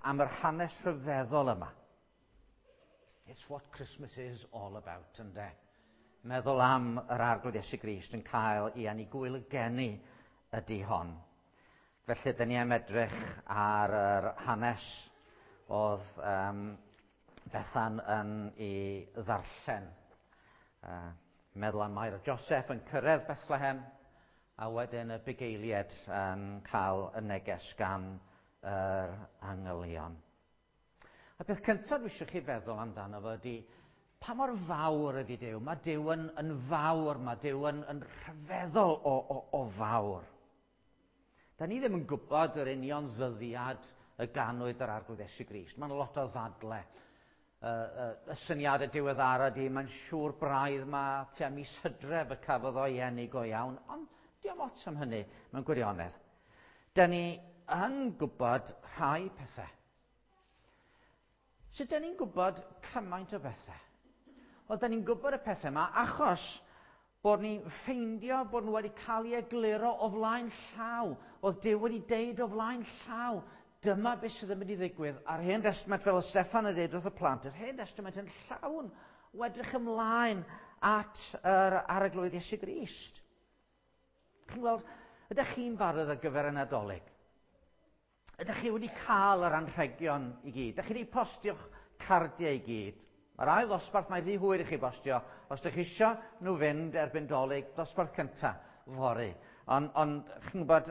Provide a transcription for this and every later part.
am yr hanes rhyfeddol yma. It's what Christmas is all about, ynde? Meddwl am yr Arglwydd Iesu Grist yn cael ei eni, gwyl y geni ydy hon. Felly, dyn ni am edrych ar yr hanes oedd Bethan yn ei ddarllen. Meddwl am Mair a Joseph yn cyrraedd Bethlehem, a wedyn y bugeiliaid yn cael y neges gan yr angylion. A peth cyntaf dwi eisiau chi feddwl amdano fo ydy pa mor fawr ydy Duw. Mae Duw yn fawr, mae Duw yn rhyfeddol o fawr. Da ni ddim yn gwybod yr union ddyddiad y ganwyd yr Arglwydd Iesu Grist. Mae'n lot o ddadle. Y syniadau diweddara ydy, mae'n siŵr braidd ma tua mis Hydref y cafodd o'i eni go iawn, ond diolch ots am hynny mewn gwirionedd. Da ni yn gwybod rhai pethau. Sut da ni'n gwybod cymaint o bethau? Wel, da ni'n gwybod y pethau yma achos bod ni'n ffeindio bod nhw wedi cael ei egluro o flaen llaw. Oedd Duw wedi deud o flaen llaw, dyma beth sydd yn mynd i ddigwydd. A'r Hen Destament, fel oedd Steffan yn deud wrth y plant, yr Hen Destament yn llawn o edrych ymlaen at yr Arglwydd Iesu Grist. Chi'n gweld, ydych chi'n barod ar gyfer y Nadolig? Ydych chi wedi cael yr anrhegion i gyd? Ydych chi wedi postio'ch cardiau i gyd? Mae'r ail ddosbarth, mae rhy hwyr i chi bostio. Os ydych chi isio nhw fynd erbyn Dolig, dosbarth cynta, fory. Ond chi'n gwybod,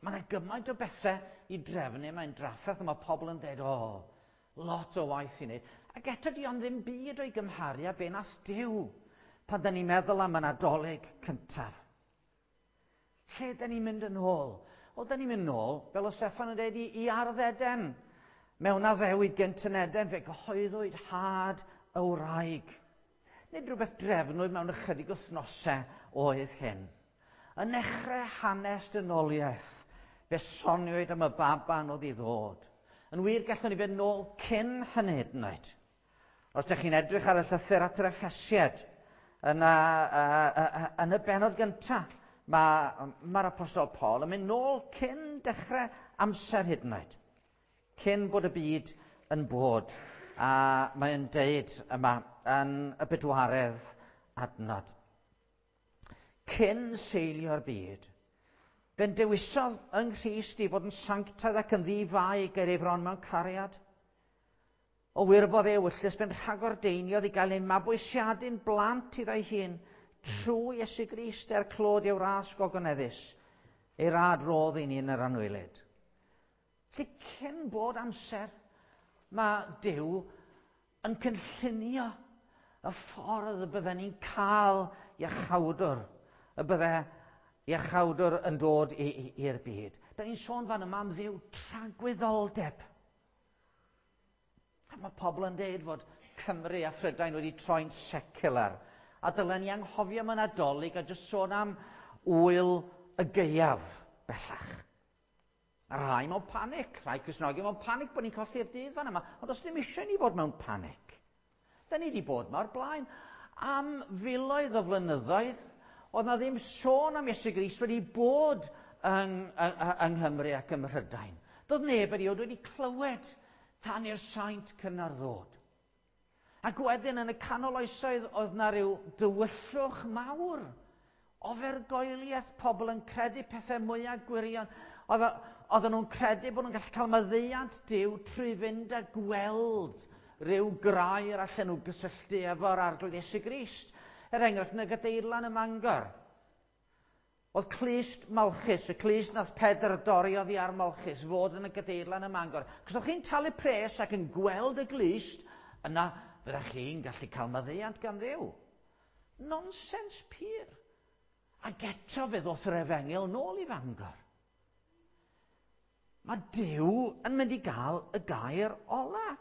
mae yna gymaint o bethau i drefnu, mae'n drafferth, a mae pobl yn dweud, o, lot o waith i wneud. Ac eto di ond ddim byd o'i gymharu â be nath Duw pan da ni'n meddwl am y Nadolig cyntaf. Lle da ni'n mynd yn ôl? Wel, da ni'n mynd nôl, fel o Steffan yn dweud, i Ardd Eden. Mewn addewid gynt yn Eden, fe gyhoeddwyd had y wraig. Nid rhywbeth drefnwyd mewn ychydig wythnosau oedd hyn. Yn nechrau hanes dynoliaeth, fe soniwyd am y baban oedd i ddod. Yn wir, gallwn ni fynd nôl cyn hynny hyd yn oed. Os ydych chi'n edrych ar y llythyr at yr Effesiaid, yna, yn y bennod gyntaf, mae'r Apostol Paul yn mynd nôl cyn dechrau amser hyd yn oed. Cyn bod y byd yn bod. A mae'n deud yma yn y bedwaredd adnod. Cyn seilio'r byd, fe'n dewisodd yng Nghrist i fod yn sanctaidd ac yn ddi-fai ger ei fron mewn cariad. O wirfodd ei ewyllys, fe'n rhagordeiniodd i gael ei mabwysiadu'n blant iddo'i hun trwy Iesu Grist er clod i'w ras gogoneddus, ei rad rodd i ni yn yr anwylyd. Felly cyn bod amser, mae Duw yn cynllunio y ffordd y bydden ni'n cael iachawdwr, y bydde iachawdwr yn dod i'r byd. Da ni'n sôn fan yma am Dduw tragwyddoldeb. A mae pobl yn deud fod Cymru a Phrydain wedi troi'n secular. A dylen ni anghofio am y Nadolig a jyst sôn am ŵyl y gaeaf bellach. A rhai mewn panic, rhai Cristnogion mewn panic bod ni'n colli'r dydd fan yma. Ond does dim eisiau ni fod mewn panic. Da ni wedi bod yma o'r blaen am filoedd o flynyddoedd. Oedd na ddim sôn am Iesu Grist wedi bod yng Nghymru ac ym Mhrydain. Doedd neb erioed wedi clywed tan i'r saint cynnar ddod. Ac wedyn yn y canol oesoedd oedd na ryw dywyllwch mawr, ofergoeliaeth, pobl yn credu pethau mwyaf gwirion. Oedden nhw'n credu bod nhw'n gallu cael maddeuant Duw trwy fynd a gweld rhyw grair allan nhw gysylltu efo'r Arglwydd Iesu Grist. Er enghraifft, yn y gadeirlan ym Mangor. Oedd clust Malchus, y clust nath Pedr dorri oddi ar Malchus, fod yn y gadeirlan ym Mangor. Cos o'ch chi'n talu pres ac yn gweld y glust, yna fyddech chi'n gallu cael maddeuant gan Dduw. Nonsens pur. Ac eto fe ddoth yr efengyl nôl i Fangor. Mae Duw yn mynd i gael y gair ola.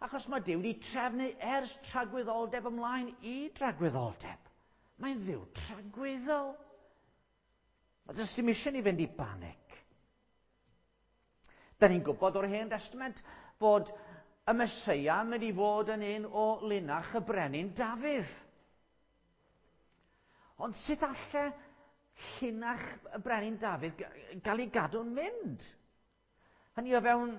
Achos mae Duw wedi trefnu ers tragwyddoldeb ymlaen i dragwyddoldeb. Mae'n Dduw tragwyddol. A does dim eisiau ni fynd i banic. Da ni'n gwybod o'r Hen Testament fod y Meseia yn mynd i fod yn un o linach y brenin Dafydd. Ond sut alle llinach y brenin Dafydd gael ei gadw'n mynd? Hynny o fewn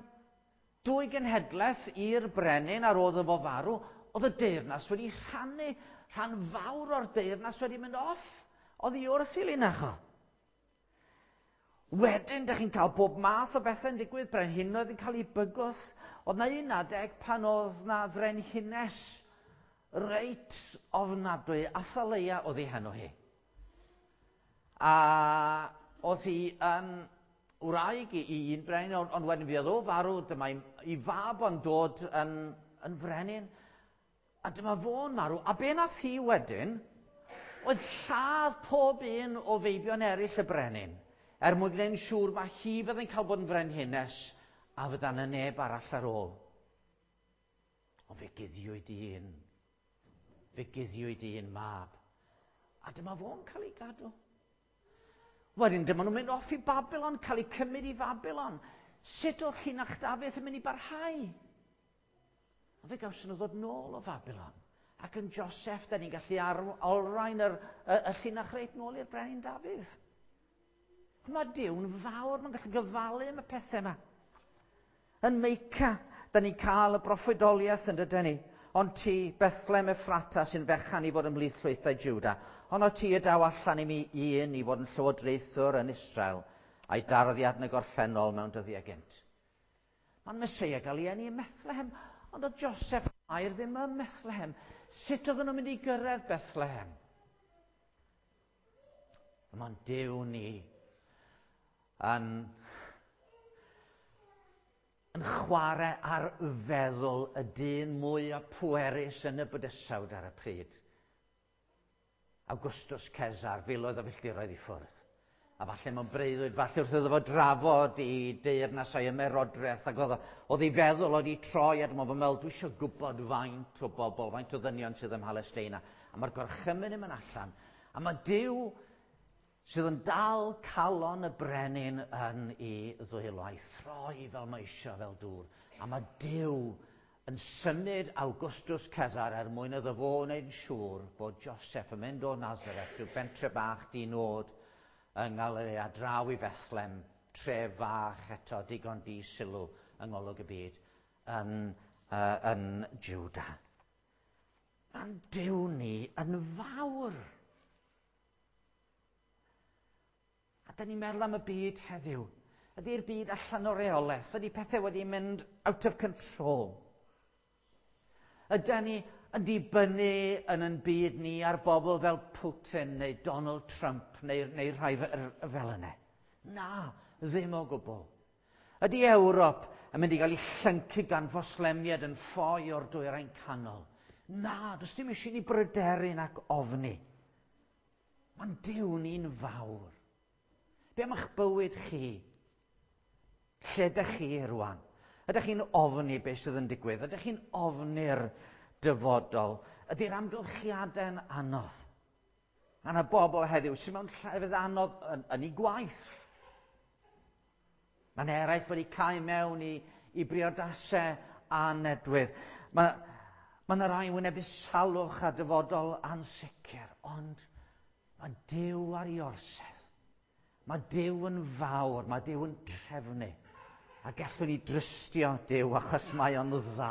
dwy genhedlaeth i'r brenin ar ôl iddo fo farw, oedd y deyrnas wedi rhannu, rhan fawr o'r deyrnas wedi mynd off oddi wrth ei linach o. Wedyn, da chi'n cael bob math o bethau'n digwydd, brenhinoedd yn cael ei bygwth. Oedd na un adeg pan oedd na frenhines reit ofnadwy, Athaleia oedd ei henw hi. A oedd hi yn wraig i, i un brenin, ond, ond wedyn fi oedd o farw, dyma i, i fab o'n dod yn, yn frenin. A dyma fo'n marw. A be nath hi wedyn, oedd lladd pob un o feibion eraill y brenin, er mwyn gwneud yn siŵr mae hi fyddai'n cael bod yn frenhines a fydda yna neb arall ar ôl. Ond fe guddiwyd un. Fe guddiwyd un mab. A dyma fo'n cael ei gadw. Wedyn dyma nhw'n mynd off i Babylon, cael eu cymryd i Babylon. Sut oedd llinach Dafydd yn mynd i barhau? Ond fe gawson nhw ddod nôl o Babylon. Ac yn Joseph, da ni'n gallu olrhain yr, y, y llinach reit nôl i'r brenin Dafydd. Mae Duw'n fawr, mae'n gallu gyfalu am y pethau yma. Yn Meica, da ni'n cael y broffwydoliaeth yn dydyn ni. Ond ti, Bethlehem Ephrata, sy'n fechan i fod ymhlith llwythau Juda. Ond o ti y daw allan i mi un i fod yn llywodraethwr yn Israel, a'i darddiad yn y gorffennol mewn dyddiau gynt. Mae'n Meseia gael ei eni ym Methlehem, ond oedd Joseph Mair ddim ym Methlehem. Sut oedden nhw'n mynd i gyrraedd Bethlehem? Mae'n Duw ni yn, yn chwarae ar feddwl y dyn mwyaf pwerus yn y bydysawd ar y pryd. Augustus Cesar, filoedd o filltiroedd i ffwrdd. A falle mewn breuddwyd, falle wrth iddo fo drafod i deyrnas a'i ymerodraeth, ac oedd, oedd ei feddwl oedd ei troi, a dyma fo'n meddwl, dwi eisiau gwybod faint o bobl, faint o ddynion sydd ym Mhalesteina. A mae'r gorchymyn yn mynd allan. A mae Duw sydd yn dal calon y brenin yn ei ddwylo, a'i throi fel mae eisiau fel dŵr. A mae Duw yn symud Augustus Cesar er mwyn iddo fo wneud yn siŵr bod Joseph yn mynd o Nazareth, rhyw bentre bach di nod yng Nghalilea, draw i Bethlehem, tref fach eto, digon di sylw yng ngolwg y byd, yn, uh, yn Juda. Mae'n Duw ni yn fawr. A da ni'n meddwl am y byd heddiw. Ydy'r byd allan o reolaeth? Ydy pethau wedi mynd out of control? Ydy ni yn dibynnu yn yn byd ni ar bobl fel Putin neu Donald Trump neu, neu rhai fel yna? Na, ddim o gwbl. Ydy Ewrop yn mynd i gael ei llyncu gan foslemiad yn ffoi o'r dwyrain canol? Na, does dim eisiau ni bryderu nac ofni. Mae'n Duw ni'n fawr. Be am eich bywyd chi? Lle ydych chi rwan? Ydych chi'n ofni beth sydd yn digwydd? Ydych chi'n ofni'r dyfodol? Ydy'r amgylchiadau'n anodd? Mae yna bobl heddiw sydd mewn llefydd anodd yn, yn ei gwaith. Mae'n eraill wedi cael mewn i, i briodasau a nedwydd. Mae, mae yna rai wynebu salwch a dyfodol ansicr, ond mae Duw ar ei orsedd. Mae Duw yn fawr, mae Duw yn trefnu. A gallwn ni drystio Duw achos mae o'n dda.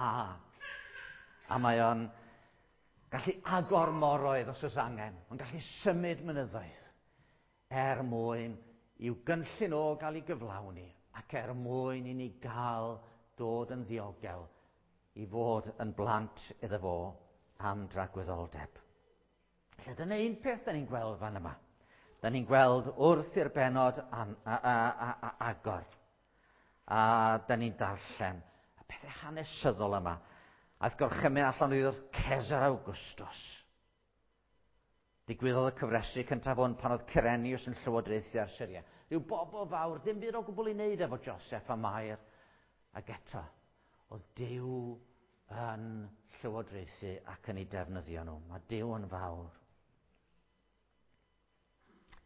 A mae o'n gallu agor moroedd os oes angen. Mae'n gallu symud mynyddoedd er mwyn i'w gynllun o gael ei gyflawni ac er mwyn i ni gael dod yn ddiogel i fod yn blant iddo fo am dragwyddoldeb. Felly dyna un peth da ni'n gweld fan yma. Da ni'n gweld wrth i'r benod an, a, a, a, a, agor. A da ni'n darllen y pethau hanesyddol yma. Aeth gorchymyn allan oedd Cesar Augustus. Digwyddodd y cyfresu cyntaf hwn pan oedd Cyrenius yn llywodraethu ar Syria. Rhyw bobl fawr, dim byd o gwbl i wneud efo Joseph a Mair. Ac eto, oedd Duw yn llywodraethu ac yn ei defnyddio nhw. Mae Duw yn fawr.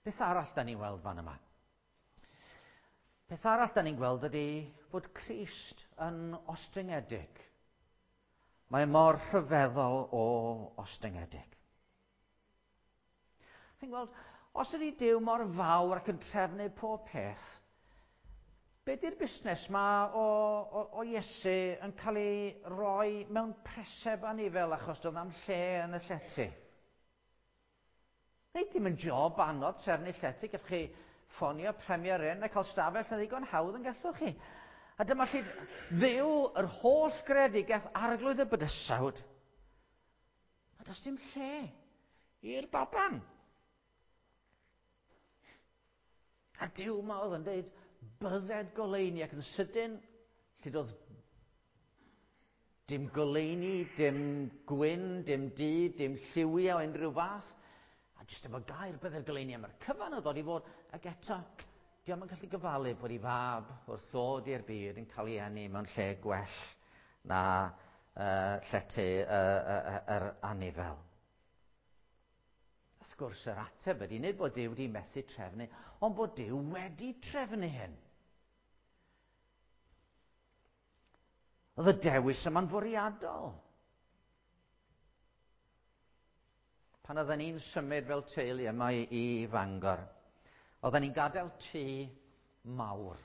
Beth arall da ni'n weld fan yma? Peth arall da ni'n gweld ydy fod Crist yn ostyngedig. Mae mor rhyfeddol o ostyngedig. Chi'n gweld, os ydy Duw mor fawr ac yn trefnu pob peth, Be di'r busnes ma o Iesu yn cael ei roi mewn preseb anifel achos doedd na'm lle yn y llety? Neu dim yn job anodd trefnu llety, gallwch chi ffonio Premier Inn a cael stafell yn ddigon hawdd yn gallwch chi. A dyma lle Dduw yr holl greadigaeth arglwydd y bydysawd. A does dim lle i'r baban. A Duw ma oedd yn dweud, bydded goleuni, ac yn sydyn, lle doedd dim goleuni, dim gwyn, dim du, dim lliwiau o unrhyw fath, a jyst efo gair bydded goleuni, a mae'r cyfan yn dod i fod, ac eto, dio'm yn gallu gyfalu bod ei fab wrth ddod i'r byd yn cael ei eni mewn lle gwell na llety yr anifel. Wrth gwrs, yr ateb ydy, nid bod Duw wedi methu trefnu, ond bod Duw wedi trefnu hyn. Oedd y dewis yma'n fwriadol. Pan oedden ni'n symud fel teulu yma i Fangor, oedden ni'n gadael tŷ mawr.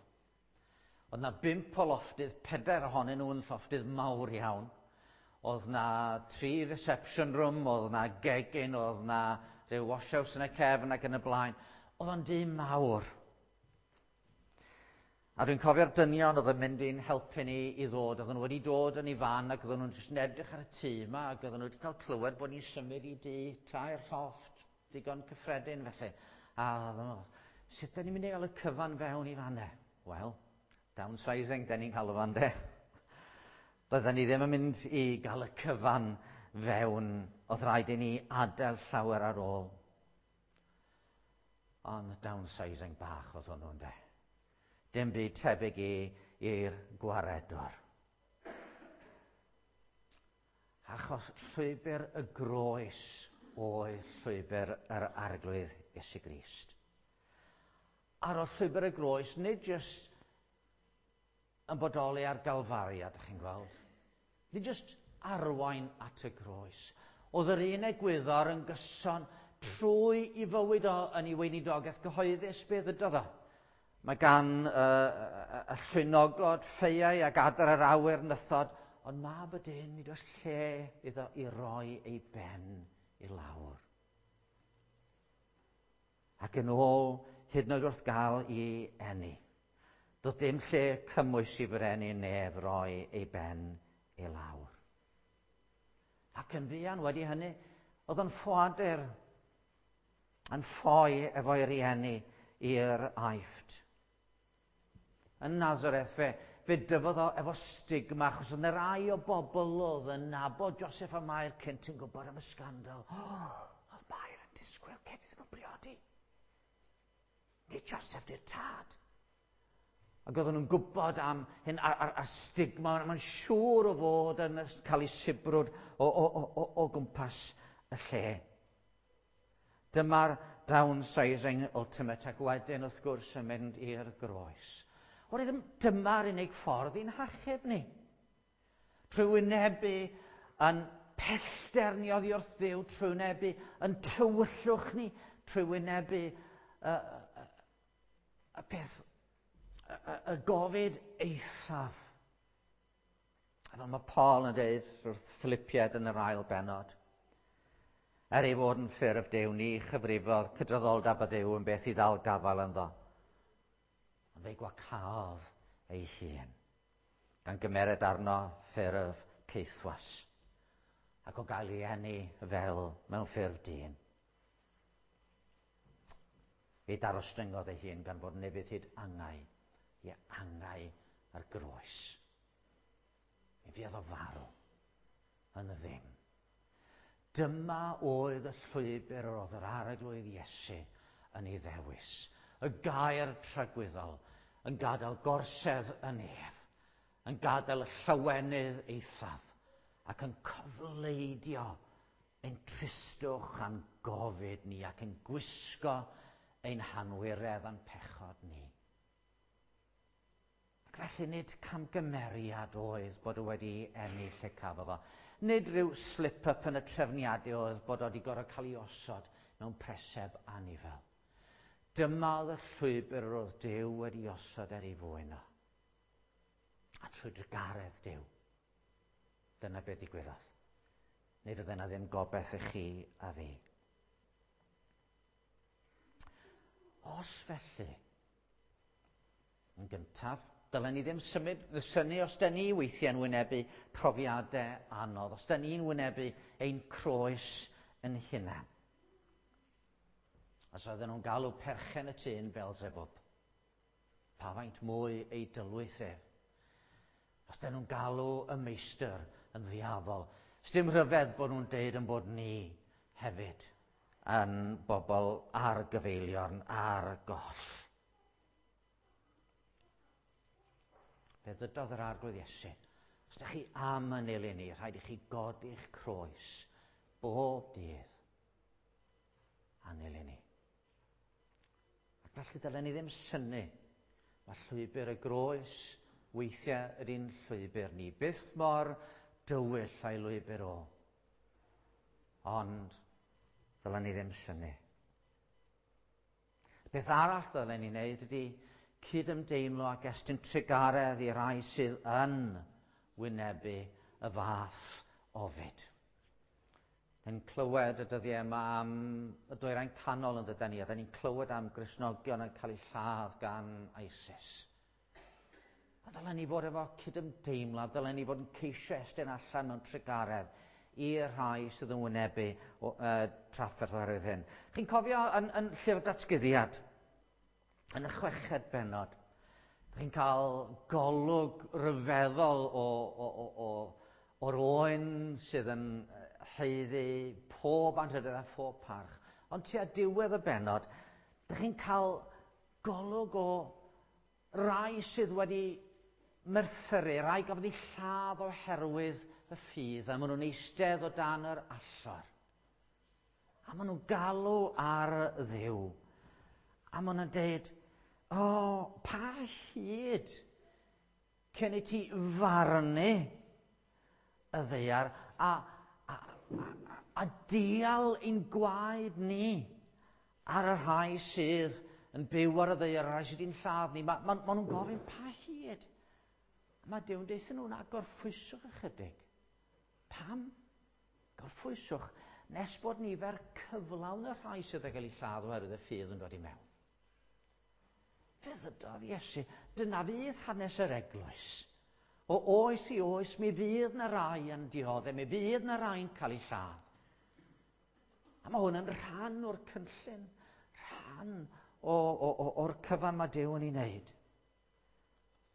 Oedd na 5 o lofftydd, 4 ohonyn nhw yn llofftydd mawr iawn. Oedd na 3 reception room, oedd na gegin, oedd na rhyw washhouse yn y cefn ac yn y blaen. Oedd o'n dŷ mawr. A dwi'n cofio'r dynion oedd yn mynd i'n helpu ni i ddod. Oedden nhw wedi dod yn ei fan ac oedden nhw'n jyst yn edrych ar y tŷ yma ac oedden nhw wedi cael clywed bod ni'n symud i dŷ 3 llofft, digon cyffredin felly. A oedden nhw, sut da ni'n mynd i gael y cyfan fewn i fanne? Wel, downsizing, da ni'n cael o fan de. Doedden ni ddim yn mynd i gael y cyfan fewn, oedd rhaid i ni adael llawer ar ôl. Ond downsizing bach oedd hwnnw, ynde. Dim byd tebyg i'r gwaredwr. Achos llwybr y groes oedd llwybr yr Arglwydd Iesu Grist. Ar ôl llwybr y groes, nid jyst yn bodoli ar Galfaria, ydych chi'n gweld. Nid jyst arwain at y groes. Oedd yr un egwyddor yn gyson trwy i fywyd o yn ei weinidogaeth gyhoeddus, be ddydodd o? Mae gan y llwynogod, ffeuau ac adar yr awyr nythod, ond mab y dyn, nid oes lle iddo i roi ei ben i lawr. Ac yn ôl, hyd yn oed wrth gael ei eni, doedd dim lle cymwys i frenin nef roi ei ben i lawr. Ac yn fuan wedi hynny, oedd yn ffoadur, yn ffoi efo'i rieni i'r Aifft. Yn Nazareth, fe dyfodd o efo stigma, achos oedd yna rai o bobl oedd yn nabod Joseph a Mair cynt yn gwybod am y sgandal. Oh, oedd Mair yn disgwyl cyn iddyn nhw briodi. Nid Joseph di'r tad. Ac oedden nhw'n gwybod am hyn a'r stigma, mae'n siŵr o fod yn cael ei sibrwd o gwmpas y lle. Dyma'r downsizing ultimate, ac wedyn wrth gwrs yn mynd i'r groes. Oherwydd dyma'r unig ffordd i'n hachub ni. Trwy wynebu yn pellter ni oddi wrth Dduw, trwy wynebu yn tywyllwch ni, trwy wynebu y peth, y gofid eithaf. A fel mae Paul yn dweud wrth Philippiaid yn yr ail bennod, er ei fod yn ffurf Duw, ni chyfrifodd cydraddoldeb â Duw yn beth i ddal gafael ynddo. Ond fe'i gwacaodd ei hun, gan gymered arno ffurf caethwas, ac o gael ei eni fel mewn ffurf dyn. Fe darostyngodd ei hun gan fod yn ufudd hyd angau, i angau ar groes. Mi fuodd o farw yn y ddim. Dyma oedd y llwybr yr oedd yr Arglwydd Iesu yn ei ddewis. Y gair tragwyddol yn gadael gorsedd y nef, yn gadael y llawenydd eithaf, ac yn cofleidio ein tristwch a'n gofid ni ac yn gwisgo ein hanwiredd a'n pechod ni. Ac felly nid camgymeriad oedd bod o wedi ennill lle cafodd o. Nid rhyw slip-up yn y trefniadau oedd bod o wedi gorfod cael ei osod mewn preseb anifel. Dyma oedd y llwybr yr oedd Duw wedi osod er ei fwyn o. A trwy drugaredd Duw, dyna beth ddigwyddodd. Neu fydde yna ddim gobeith i chi a fi. Os felly, yn gyntaf, dylen ni ddim symud, synnu os da ni weithiau'n wynebu profiadau anodd, os da ni'n wynebu ein croes yn hunain. Os oedden nhw'n galw perchen y tŷ yn Belzebub, pa faint mwy ei dylwyth ef? Os dyn nhw'n galw y meistr yn ddiafol, sdim rhyfedd bod nhw'n deud yn bod ni hefyd yn bobl ar gyfeiliorn, ar goll. Fe ddydodd yr Arglwydd Iesu, os ydych chi am yn elyn ni, rhaid i chi godi'ch croes bob dydd a nilyn ni. Ac felly dylen ni ddim synnu. Mae llwybr y groes weithiau ydy'n llwybr ni. Byth mor dywyll a'i lwybr o. Ond dylen ni ddim synnu. Beth arall ddylen ni wneud ydy cydymdeimlo ac estyn trugaredd i rai sydd yn wynebu y fath ofid. Yn clywed y dyddiau yma am y dwyrain canol yn dydyn ni, a dyn ni'n clywed am Gristnogion yn cael eu lladd gan ISIS. A ddylen ni fod efo cydymdeimlad, ddylen ni fod yn ceisio estyn allan mewn trugaredd i'r rhai sydd yn wynebu o, trafferth oherwydd hyn. Chi'n cofio yn Llyfr Datguddiad, yn y 6fed bennod, chi'n cael golwg ryfeddol o'r oen sydd yn haeddu pob anrhydedd a phob parch. Ond tua diwedd y bennod, dych chi'n cael golwg o rai sydd wedi merthyru, rai gafodd eu lladd oherwydd y ffydd, a maen nhw'n eistedd o dan yr allor. A maen nhw'n galw ar Dduw. A maen nhw'n deud, o, pa hyd cyn i ti farnu y ddaear a dial ein gwaed ni ar y rhai sydd yn byw ar y ddaear, y rhai sydd wedi'n lladd ni. Ma nhw'n gofyn, pa hyd? Mae Duw'n deutha nhw, na, gorffwyswch ychydig. Pam? Gorffwyswch nes bod nifer cyflawn y rhai sydd yn cael eu lladd oherwydd y ffydd yn dod i mewn. Fe ddydodd Iesu, dyna fydd hanes yr eglwys. O oes i oes, mi fydd na rai yn dioddef, mi fydd na rai'n cael eu lladd. A mae hwn yn rhan o'r cynllun, rhan o'r cyfan mae Duw yn ei wneud.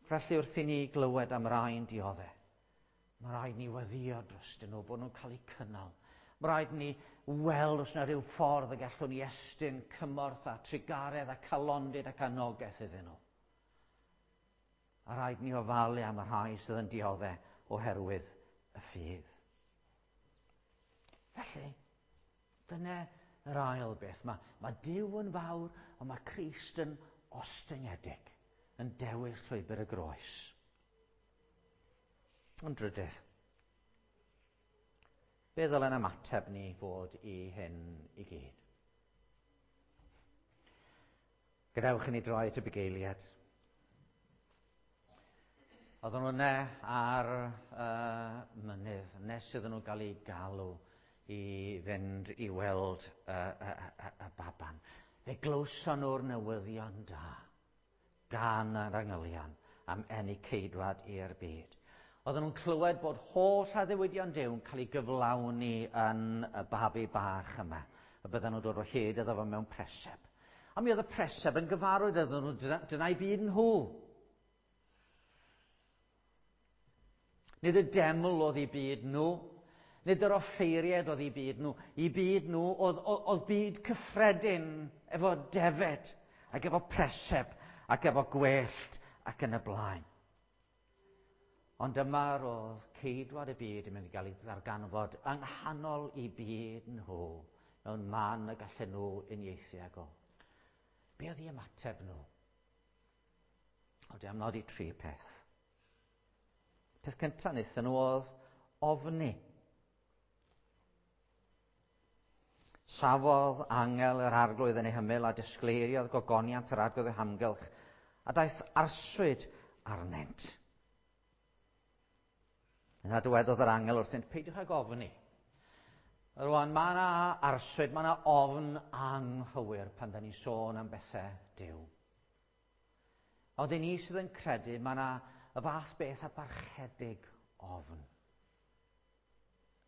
Felly wrth i ni glywed am rai'n dioddef, mae rhaid ni weddïo drostyn nhw bod nhw'n cael eu cynnal. Mae rhaid ni weld os yna rhyw ffordd y gallwn ni estyn cymorth a trugaredd a calondid ac anogaeth iddyn nhw. A rhaid ni ofalu am y rhai sydd yn dioddef oherwydd y ffydd. Felly, dyna yr ail beth. Mae Duw yn fawr, ond mae Crist yn ostyngedig, yn dewis llwybr y groes. Ond drydydd, be ddylen ymateb ni fod i hyn i gyd? Gadewch i ni droi at y bugeiliad. Oedden nhw yna ar y mynydd nes iddyn nhw gael eu galw i fynd i weld y baban. Fe glywson nhw'r newyddion da gan yr angylion am eni ceidwad i'r byd. Oedden nhw'n clywed bod holl addewidion Duw yn cael ei gyflawni yn y babi bach yma, y bydden nhw'n dod o hyd iddo fo mewn preseb. A mi oedd y preseb yn gyfarwydd iddyn nhw, dyna'i byd nhw. Nid y deml oedd eu byd nhw, nid yr offeiriaid oedd eu byd nhw. Eu byd nhw oedd byd cyffredin efo defed ac efo preseb ac efo gwellt ac yn y blaen. Ond yma roedd ceidwad y byd yn mynd i gael ei ddarganfod yng nghanol eu byd nhw, mewn man y gallen nhw uniaethu ag o. Be oedd eu ymateb nhw? O, dwi am nodi tri peth. Peth cyntaf wnaethon nhw oedd ofni. Safodd angel yr arglwydd yn ei hymyl a disgleiriodd gogoniant yr arglwydd eu hamgylch, a daeth arswyd arnynt. Yna dywedodd yr angel wrthynt, peidiwch ag ofni. Rwan, mae yna arswyd, mae yna ofn anghywir pan da ni'n sôn am bethau Duw. Ond i ni sydd yn credu, mae yna y fath beth a barchedig ofn.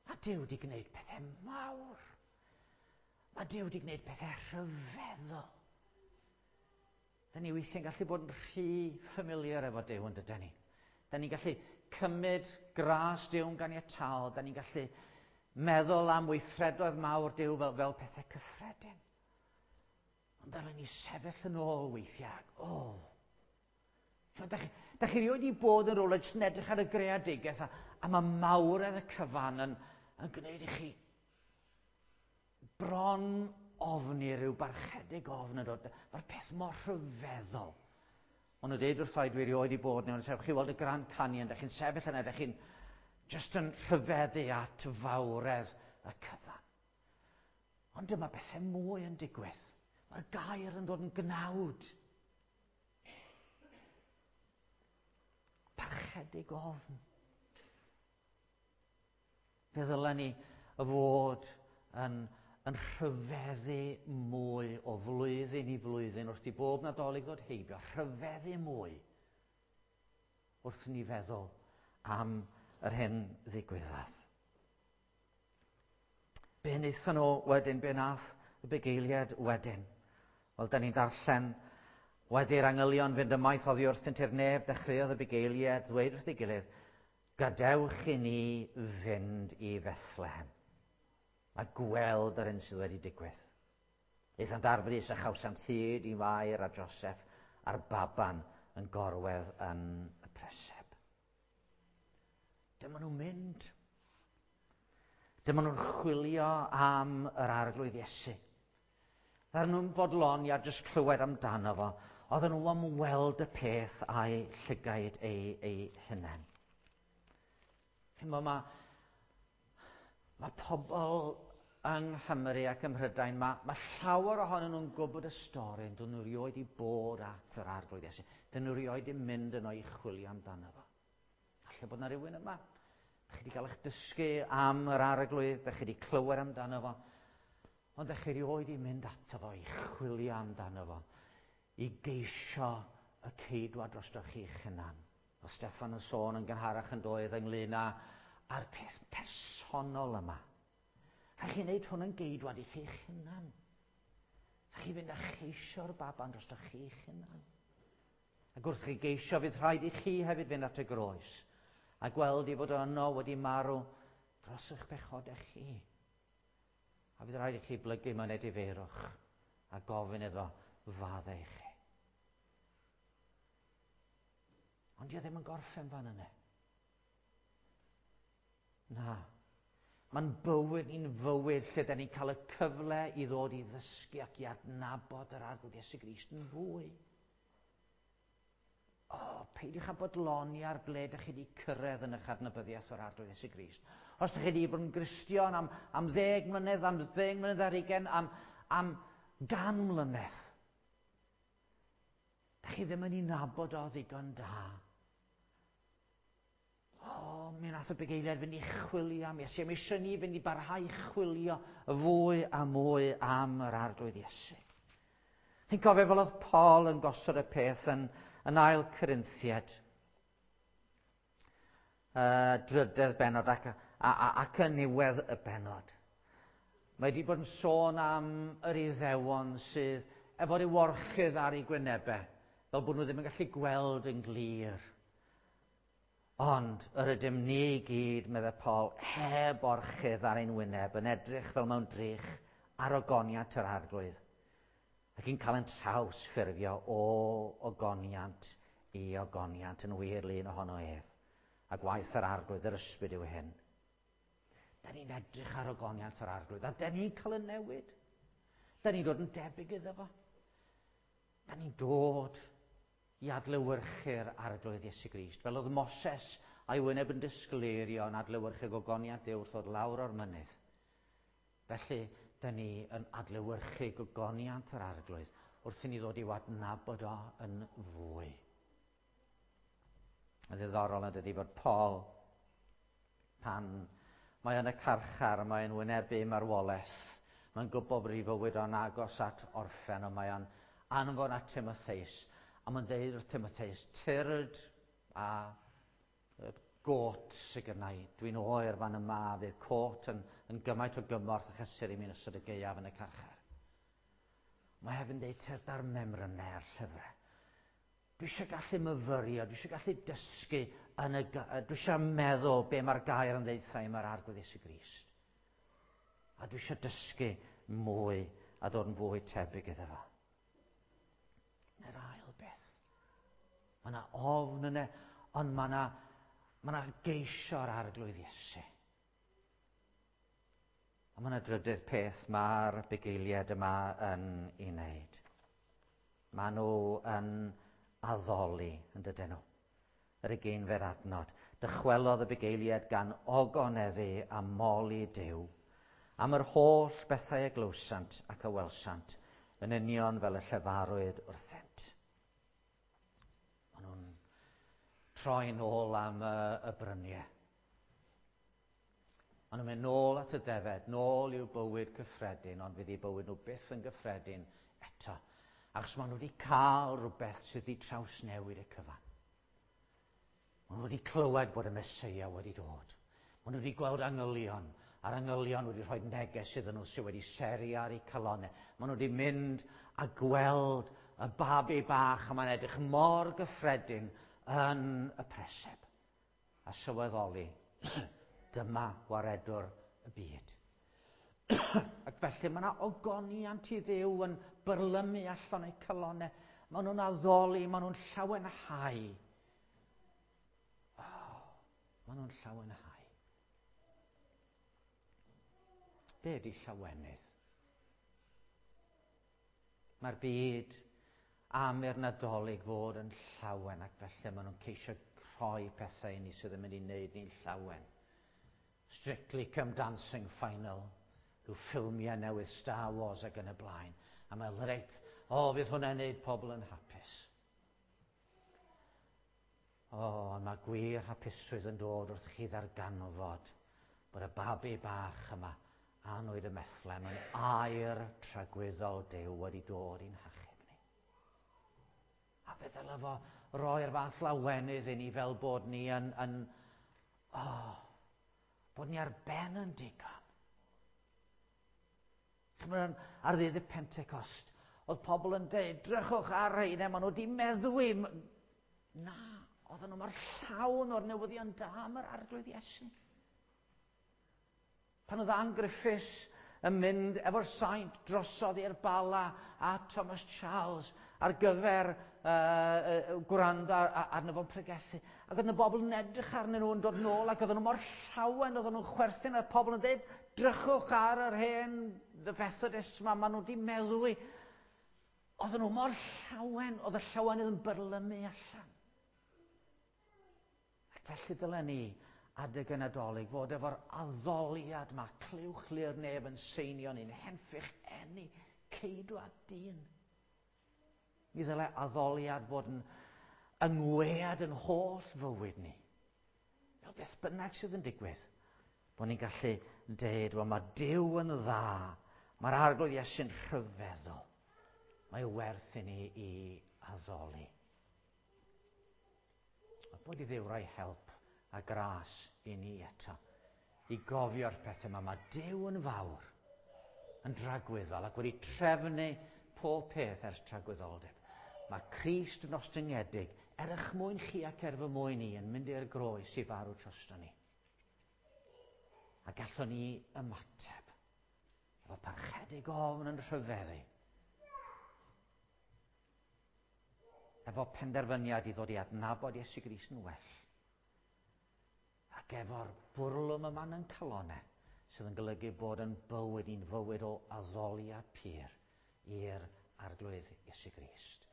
Mae Duw wedi gwneud pethau mawr. Mae Duw wedi gwneud pethau rhyfeddol. Da ni weithiau'n gallu bod yn rhy familiar efo Duw yn dydyn ni. Da ni'n gallu cymryd gras Duw'n ganiataol. Da ni'n gallu meddwl am weithredoedd mawr Duw fel, fel pethau cyffredin. Ond dylen ni sefyll yn ôl weithiau ac, o, oh, da chi, da chi rioed i bod yn rhywle jyst yn edrych ar y greadigaeth a, a mae mawredd y cyfan yn, yn gwneud i chi bron ofni rhyw barchedig ofn yn dod. Mae'r peth mor rhyfeddol. Ond nhw'n dweud wrtha i dwi erioed i bod mewn, sef chi weld y Grand Canyon, da chi'n sefyll yna, da chi'n just yn rhyfeddu at fawredd y cyfan. Ond dyma bethau mwy yn digwydd. Mae'r gair yn dod yn gnawd. Parchedig ofn. Fe ddylen ni fod yn, yn rhyfeddu mwy o flwyddyn i flwyddyn wrth i bob Nadolig ddod heibio, rhyfeddu mwy wrth ni feddwl am yr hyn ddigwyddodd. Be wnaethon nhw wedyn, be nath y bugeiliaid wedyn? Wel, da ni'n darllen, wedi'r angylion fynd ymaith oddi wrthynt i'r nef, dechreuodd y bugeiliaid ddweud wrth ei gilydd, gadewch i ni fynd i Fethlehem a gweld yr hyn sydd wedi digwydd. Aethant ar frys a chawsant hyd i Mair a Joseph a'r baban yn gorwedd yn y preseb. Dyma nhw'n mynd. Dyma nhw'n chwilio am yr arglwydd Iesu. Ddaru nhw'n bodloni ar jyst clywed amdano fo. Oedden nhw am weld y peth a'i llygaid ei, ei hunain. Chimod, mae, mae pobl yng Nghymru ac ym Mhrydain, mae, mae llawer ohonyn nhw'n gwybod y stori, ond dyn nhw rioed i bod at yr arglwydd Iesu. Dyn nhw rioed i mynd yno i chwilio amdano fo. Falle bod yna rhywun yma. Da chi wedi cael eich dysgu am yr arglwydd, da chi wedi clywed amdano fo, ond da chi rioed i mynd ato fo, i chwilio amdano fo, i geisio y ceidwad drostoch chi'ch hunan. Oedd Steffan yn sôn yn gynharach yn doedd ynglyn â a'r peth personol yma. Rhaid chi wneud hwn yn geidwad i chi'ch hunan. Rhaid chi fynd a cheisio'r baban drostoch chi'ch hunan. Ac wrth chi geisio, fydd rhaid i chi hefyd fynd at y groes a gweld ei fod yno wedi marw dros eich pechodau chi. A fydd rhaid i chi blygu mewn edifeirwch a gofyn iddo faddau i chi. Ond di o ddim yn gorffen fan yna. Na. Mae'n bywyd ni'n fywyd lle da ni'n cael y cyfle i ddod i ddysgu ac i adnabod yr Arglwydd Iesu Grist yn fwy. O, oh, peidiwch â bodloni ar ble ydych chi wedi cyrraedd yn eich adnabyddiaeth o'r Arglwydd Iesu Grist. Os ydych chi wedi bod yn Gristion am, am ddeg mlynedd, am ddeg mlynedd ar ugain, am, am gan mlynedd, da chi ddim yn ei nabod o ddigon da. O, oh, mi nath y bugeiliaid fynd i chwilio am Iesu. Mi eisiau ni fynd i barhau chwilio fwy a mwy am yr arglwydd Iesu. Chi'n cofio fel oedd Paul yn gosod y peth yn, yn ail Corinthiad. Uh, drydedd benod ac, a, a, ac yn niwedd y benod. Mae wedi bod yn sôn am yr Iddewon sydd efo ryw orchudd ar eu gwynebau, fel bod nhw ddim yn gallu gweld yn glir. Ond yr ydym ni i gyd, meddai Paul, heb orchudd ar ein wyneb, yn edrych fel mewn drych ar ogoniant yr arglwydd, ac yn cael ein traws ffurfio o ogoniant i ogoniant yn wir lun ohono ef. A gwaith yr arglwydd yr ysbryd yw hyn. Da ni'n edrych ar ogoniant yr arglwydd, a da ni'n cael y newid. Da ni'n dod yn debyg iddo fo. Da ni'n dod i adlewyrchu'r arglwydd Iesu Grist. Fel oedd Moses a'i wyneb yn disgleirio yn adlewyrchu gogoniant Duw wrth ddod lawr o'r mynydd. Felly, Dyn ni yn adlewyrchu gogoniant yr Arglwydd wrth i ni ddod i'w adnabod o yn fwy. Yn ddiddorol yn dydy fod Paul, pan mae yn y carchar, mae'n wynebu marwolaeth, mae'n gwybod bod ei fywyd o'n agos at orffen, ond mae o'n anfon at Timotheus, a mae'n dweud wrth Timotheus, tyrd a got sydd gynna i. Dwi'n oer fan yma, fydd cot yn, yn gymaint o gymorth a chysur i mi yn ystod y gaeaf yn y carchar. Mae hefyd yn dweud tyrd ar memrynau a'r llyfrau. Dwi eisiau gallu myfyrio, dwi eisiau gallu dysgu, yn y, dwi eisiau meddwl be mae'r gair yn ddeutha i mae'r Arglwydd Iesu Grist. A dwi eisiau dysgu mwy a dod yn fwy tebyg iddo fo. Neu'r ail beth. Mae yna ofn yna, ond mae yna, mae yna geisio'r Arglwydd Iesu. A mae yna drydydd peth mae'r bugeiliaid yma yn ei wneud. Maen nhw yn addoli, yn dydyn nhw. Yr ugeinfed adnod. Dychwelodd y bugeiliaid gan ogoneddu a moli Duw am yr holl bethau a glywsant ac a welsant yn union fel y llefarwyd wrthynt. Maen nhw'n troi'n ôl am y, y bryniau. Maen nhw'n mynd nôl at y defed, nôl i'w bywyd cyffredin, ond fydd eu bywyd nhw byth yn gyffredin eto. Achos maen nhw wedi cael rhywbeth sydd wedi trawsnewid y cyfan. Maen nhw wedi clywed bod y Meseia wedi dod. Maen nhw wedi gweld angylion, a'r angylion wedi rhoi neges iddyn nhw sydd wedi seri ar eu calonau. Maen nhw wedi mynd a gweld y babi bach yma'n edrych mor gyffredin yn y preseb. A sylweddoli, dyma waredwr y byd. Ac felly mae yna ogoniant i Dduw yn byrlymu allan eu calonau. Maen nhw'n addoli, maen nhw'n llawenhau. Oh, maen nhw'n llawenhau. Be ydy llawenydd? Mae'r byd am i'r Nadolig fod yn llawen ac felly maen nhw'n ceisio rhoi pethau i ni sydd yn mynd i wneud ni'n llawen. Strictly Come Dancing Final, rhyw ffilmiau newydd Star Wars ac yn y blaen. A mae'n reit, o, oh, fydd hwnna'n neud pobl yn hapus. O, oh, ond mae gwir hapusrwydd yn dod wrth chi ddarganfod bod y babi bach yma, anwyd y Methlem, yn air tragwyddol Duw wedi dod i'n hachub ni. A fe ddyle fo roi'r fath lawenydd i ni fel bod ni yn, yn oh, bod ni ar ben yn digon. Chymryd, ar ddydd y Pentecost, oedd pobl yn dweud, drychwch ar rheina, maen nhw wedi meddwi. Na, oedden nhw mor llawn o'r newyddion da am yr Arglwydd Iesu. Pan oedd Ann Griffiths yn mynd efo'r saint drosodd i'r Bala a Thomas Charles ar gyfer uh, gwrando arno fo'n pregethu. Ac oedd yna bobl yn edrych arnyn nhw yn dod nôl ac oedden nhw mor llawen, oedden nhw'n chwerthin a'r pobl yn dweud, drychwch ar yr hen The Methodist ma, maen nhw wedi meddwi. Oedden nhw mor llawen, oedd y llawenydd yn byrlymu allan. Ac felly dylen ni adeg y Nadolig fod efo'r addoliad ma, clywch lu'r nef yn seinio ni'n henffych eni, ceidwad dyn. Mi ddyle addoliad fod yn yngwead yn holl fywyd ni. Fel beth bynnag sydd yn digwydd, bod ni'n gallu deud, wel mae Duw yn dda, mae'r Arglwydd Iesu'n rhyfeddol. Mae werth i ni i addoli. A bod i Dduw roi help a gras i ni eto i gofio'r pethau yma. Mae Duw yn fawr, yn dragwyddol ac wedi trefnu pob peth ers tragwyddoldeb. Mae Crist yn ostyngedig, er eich mwyn chi ac er fy mwyn i, yn mynd i'r groes i farw drosto ni. A gallwn ni ymateb efo parchedig ofn yn rhyfeddu. Efo penderfyniad i ddod i adnabod Iesu Grist yn well. Ac efo'r bwrlwm yma yn calonau, sydd yn golygu bod yn bywyd i'n fywyd o addoliad pur i'r Arglwydd Iesu Grist.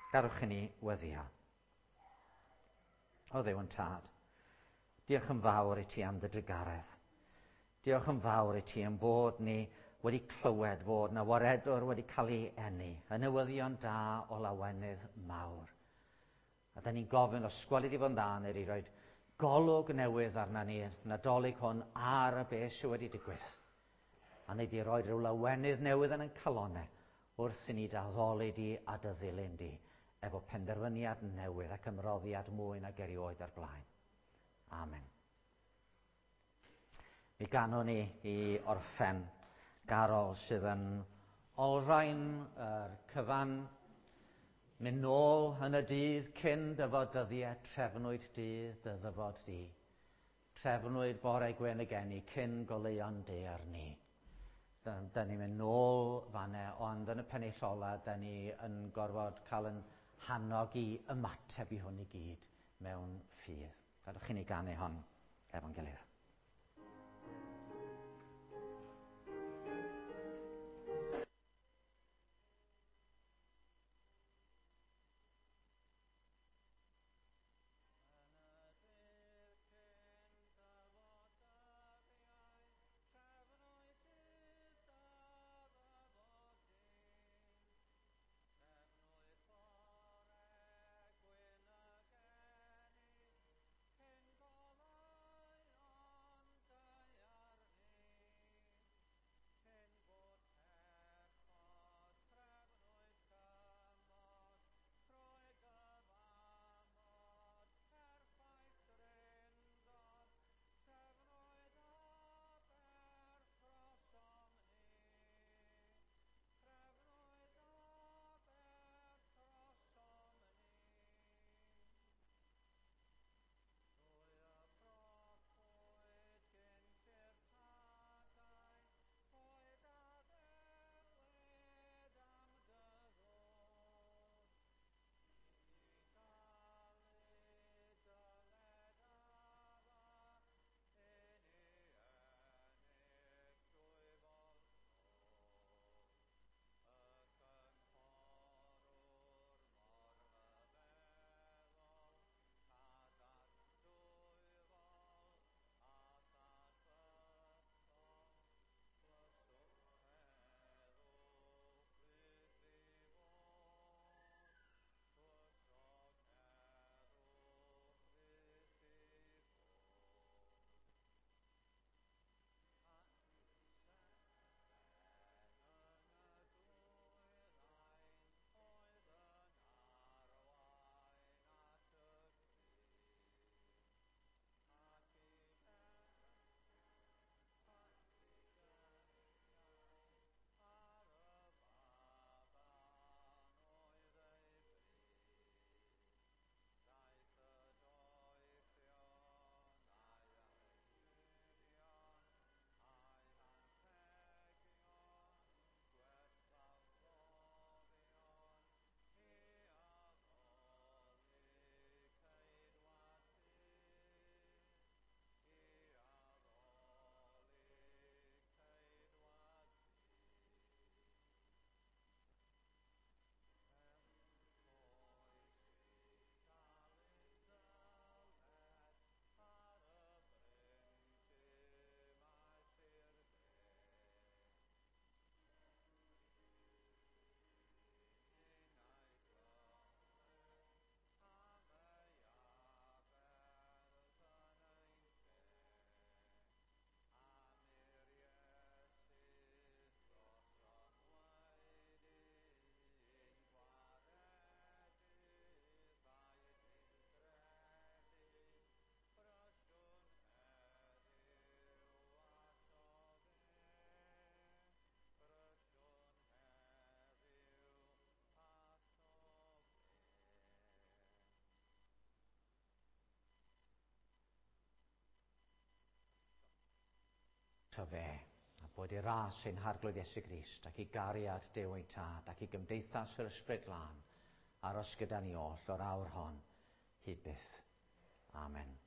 Gadwch i ni weddio. O Dduw yn Tad, diolch yn fawr i ti am dy drugaredd. Diolch yn fawr i ti am bod ni wedi clywed fod na waredwr wedi cael ei eni, y newyddion da o lawenydd mawr. A da ni'n gofyn os gweli di fod yn dda neu i roi golwg newydd arna ni, Nadolig hwn, ar y beth sydd wedi digwydd. A neu di roi rhyw lawenydd newydd yn ein calonau wrth i ni dy addoli di a dy ddilyn di, efo penderfyniad newydd ac ymroddiad mwy nag erioed ar blaen. Amen. Mi ganwn ni i orffen garol sydd yn olrhain yr cyfan, mynd nôl yn y dydd cyn dyfod dyddiau, trefnwyd dydd dy ddyfod di. Trefnwyd bore gwyn y geni cyn goleuon daear ni. Da, da ni'n mynd nôl fanne, ond yn y pennill ola, da ni yn gorfod cael yn hannog i ymateb i hwn i gyd mewn ffydd. Gadwch i ni ganu hon efo'n gilydd. Ato fe, a bod i ras ein Harglwydd Iesu Grist ac i gariad Duw ein Tad ac i gymdeithas yr Ysbryd Glân aros gyda ni oll o'r awr hon hyd byth. Amen.